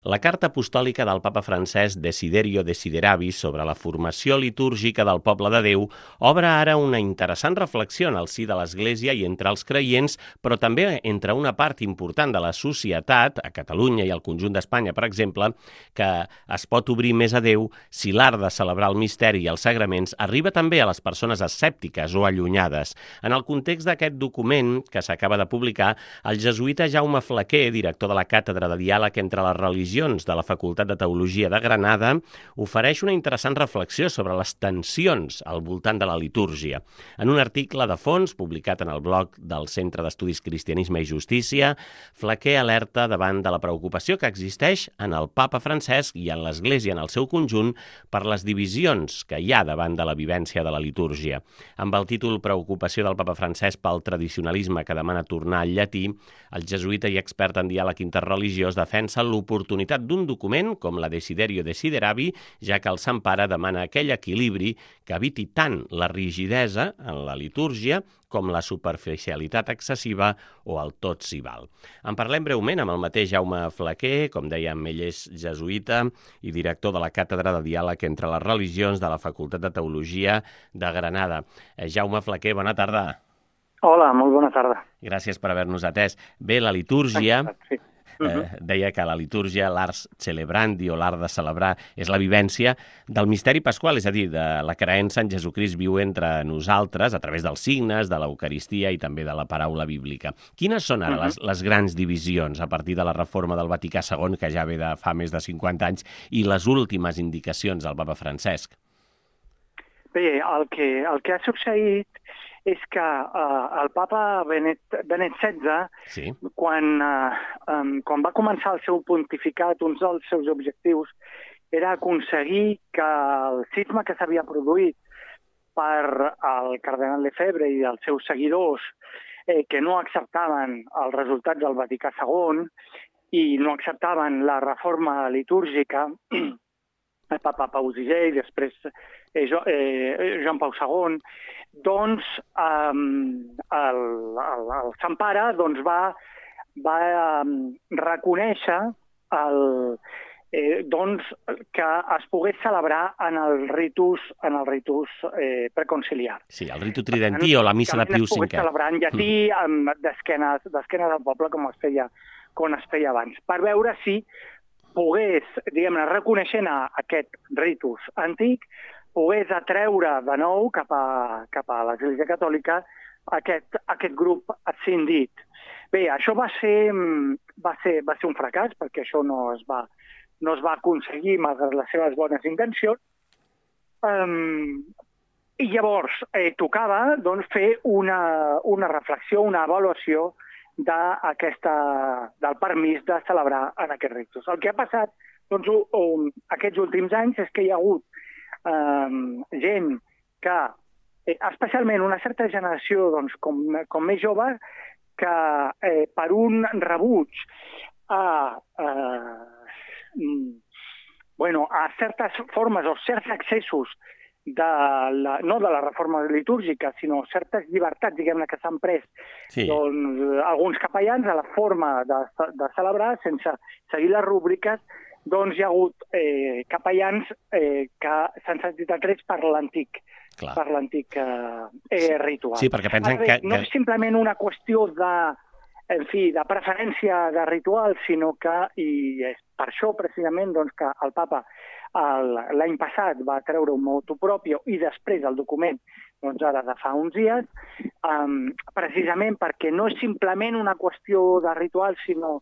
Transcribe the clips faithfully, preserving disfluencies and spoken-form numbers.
La carta apostòlica del papa Francesc Desiderio Desideravi sobre la formació litúrgica del poble de Déu obre ara una interessant reflexió en el si de l'Església i entre els creients, però també entre una part important de la societat, a Catalunya i al conjunt d'Espanya, per exemple, que es pot obrir més a Déu si l'art de celebrar el misteri i els sagraments arriba també a les persones escèptiques o allunyades. En el context d'aquest document que s'acaba de publicar, el jesuïta Jaume Flaquer, director de la Càtedra de Diàleg entre les Religions de la Facultat de Teologia de Granada, ofereix una interessant reflexió sobre les tensions al voltant de la litúrgia. En un article de fons publicat en el blog del Centre d'Estudis Cristianisme i Justícia, Flaquer alerta davant de la preocupació que existeix en el papa Francesc i en l'Església en el seu conjunt per les divisions que hi ha davant de la vivència de la litúrgia. Amb el títol Preocupació del papa Francesc pel tradicionalisme que demana tornar al llatí, el jesuïta i expert en diàleg interreligiós defensa l'oportunitat d'un document com la Desiderio Desideravi, ja que el Sant Pare demana aquell equilibri que eviti tant la rigidesa en la litúrgia com la superficialitat excessiva o el tot s'hi val. En parlem breument amb el mateix Jaume Flaquer, com dèiem, ell és jesuïta i director de la Càtedra de Diàleg entre les Religions de la Facultat de Teologia de Granada. Eh, Jaume Flaquer, bona tarda. Hola, molt bona tarda. Gràcies per haver-nos atès. Bé, la litúrgia... Sí. Eh, deia que la litúrgia, l'ars celebrandi o l'art de celebrar, és la vivència del misteri pasqual, és a dir, de la creença en Jesucrist viu entre nosaltres a través dels signes, de l'Eucaristia i també de la paraula bíblica. Quines són ara les, les grans divisions a partir de la reforma del Vaticà segon, que ja ve de fa més de cinquanta anys, i les últimes indicacions del papa Francesc? Bé, el que, el que ha succeït és que uh, el papa Benet, Benet setze, sí. quan, uh, um, quan va començar el seu pontificat, un dels seus objectius era aconseguir que el cisma que s'havia produït per el cardenal Lefebvre i els seus seguidors, eh, que no acceptaven els resultats del Vaticà segon i no acceptaven la reforma litúrgica, el papa Pau sisè i després eh, jo, eh, Joan Pau segon, doncs eh, el, el, el Sant Pare doncs, va, va eh, reconèixer el, eh, doncs, que es pogués celebrar en el ritus, en el ritus eh, preconciliar. Sí, el ritu tridentí o la missa de Pius cinquè. Es pogués celebrar en llatí mm. d'esquenes del poble com es feia, com es feia abans, per veure si pogués, diguem-ne, reconeixent aquest ritus antic, pogués atreure de nou cap a, cap a l'Església Catòlica aquest, aquest grup ascendit. Bé, això va ser, va ser, va ser un fracàs, perquè això no es va, no es va aconseguir malgrat les seves bones intencions. Um, I llavors eh, tocava doncs, fer una, una reflexió, una avaluació d'aquesta, del permís de celebrar en aquest ritus. El que ha passat doncs, um, aquests últims anys és que hi ha hagut um, gent que, eh, especialment una certa generació doncs, com, com més jove, que eh, per un rebuig a, eh, bueno, a certes formes o certs accessos de la, no de la reforma litúrgica, sinó certes llibertats, diguem-ne, que s'han pres sí. doncs, alguns capellans a la forma de, de celebrar, sense seguir les rúbriques, doncs hi ha hagut eh, capellans eh, que s'han sentit atrets per l'antic per l'antic eh, eh, ritual. Sí, perquè pensen que... No és simplement una qüestió de, en fi, de preferència de ritual, sinó que, i és per això precisament doncs, que el papa l'any passat va treure un motu proprio i després el document doncs ara de fa uns dies, um, precisament perquè no és simplement una qüestió de ritual, sinó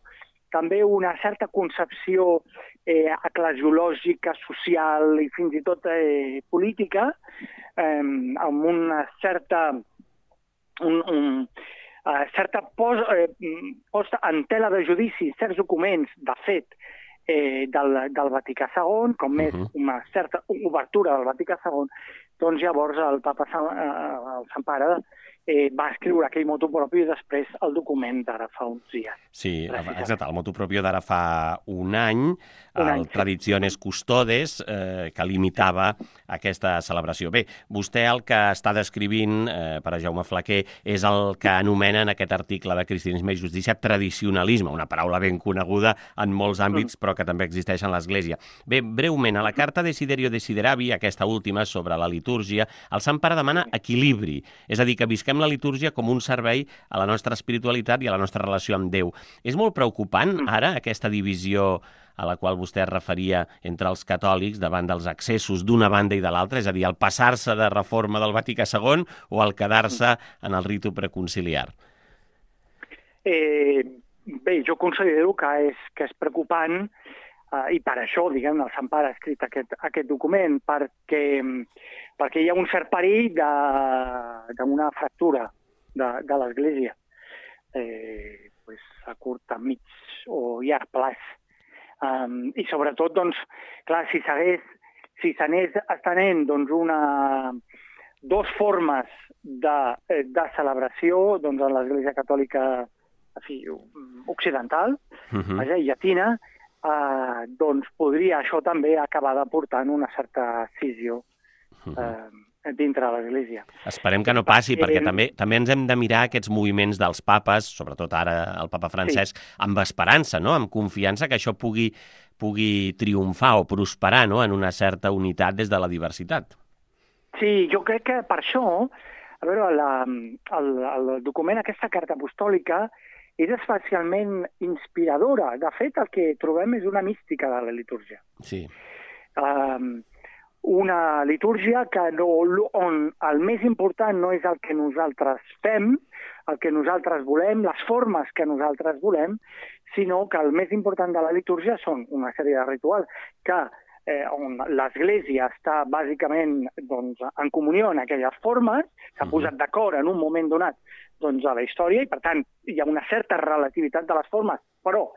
també una certa concepció eh, eclesiològica, social i fins i tot eh, política, eh, amb una certa, un, un, uh, certa pos, eh, posta en tela de judici certs documents, de fet, Eh, del, del Vaticà segon, com més uh -huh. una certa obertura del Vaticà segon, doncs llavors el papa, el Sant Pare eh, va escriure aquell motu propio i després el document d'ara fa uns dies. Sí, exacte, el motu propio d'ara fa un any, un el any, sí. Tradiciones Custodes, eh, que limitava aquesta celebració. Bé, vostè el que està descrivint, eh, per a Jaume Flaquer, és el que anomena en aquest article de Cristianisme i Justícia tradicionalisme, una paraula ben coneguda en molts àmbits, però que també existeix en l'Església. Bé, breument, a la carta Desiderio Desideravi, aquesta última sobre la litúrgia, el Sant Pare demana equilibri, és a dir, que visquem la litúrgia com un servei a la nostra espiritualitat i a la nostra relació amb Déu. És molt preocupant, ara, aquesta divisió a la qual vostè es referia entre els catòlics davant dels excessos d'una banda i de l'altra, és a dir, el passar-se de reforma del Vaticà segon o el quedar-se en el ritu preconciliar? Eh, bé, jo considero que és, que és preocupant eh, i per això, diguem, el Sant Pare ha escrit aquest, aquest document, perquè, perquè hi ha un cert perill d'una fractura de, de l'Església, eh, pues, a curt, a mig o llarg plaç. Um, I sobretot, doncs, clar, si s'hagués, si s'anés estenent doncs, una, dos formes de, de celebració doncs, en l'Església Catòlica en fi, occidental, uh-huh. vaja, llatina, eh, doncs podria això també acabar aportant una certa escissió uh-huh. eh, dintre de l'Església. Esperem que no passi, perquè, perquè també també ens hem de mirar aquests moviments dels papes, sobretot ara el papa Francesc, sí. amb esperança, no? Amb confiança que això pugui, pugui triomfar o prosperar, no? En una certa unitat des de la diversitat. Sí, jo crec que per això, a veure, la, el, el document, aquesta carta apostòlica, és especialment inspiradora. De fet, el que trobem és una mística de la litúrgia. Sí. Um, una litúrgia que no, on el més important no és el que nosaltres fem, el que nosaltres volem, les formes que nosaltres volem, sinó que el més important de la litúrgia són una sèrie de rituals que eh, on l'Església està bàsicament doncs, en comunió en aquelles formes, s'ha posat d'acord en un moment donat doncs, a la història i, per tant, hi ha una certa relativitat de les formes, però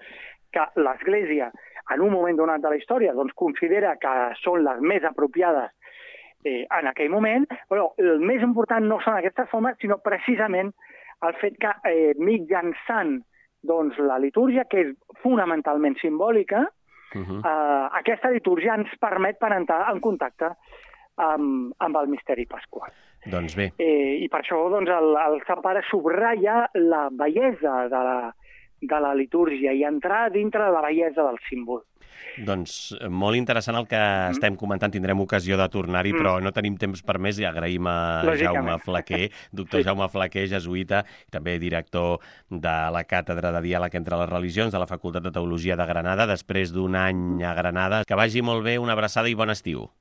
que l'Església en un moment donat de la història doncs, considera que són les més apropiades eh, en aquell moment, però el més important no són aquestes formes, sinó precisament el fet que eh, mitjançant doncs, la litúrgia, que és fonamentalment simbòlica, uh-huh. eh, aquesta litúrgia ens permet per entrar en contacte amb, amb el misteri pasqual. Doncs bé. Eh, I per això doncs, el, el Sant Pare subratlla la bellesa de la de la litúrgia i entrar dintre de la bellesa del símbol. Doncs molt interessant el que mm. estem comentant, tindrem ocasió de tornar-hi, mm. però no tenim temps per més i agraïm a Jaume Flaquer, doctor sí. Jaume Flaquer, jesuïta, i també director de la Càtedra de Diàleg entre les Religions de la Facultat de Teologia de Granada, després d'un any a Granada. Que vagi molt bé, una abraçada i bon estiu.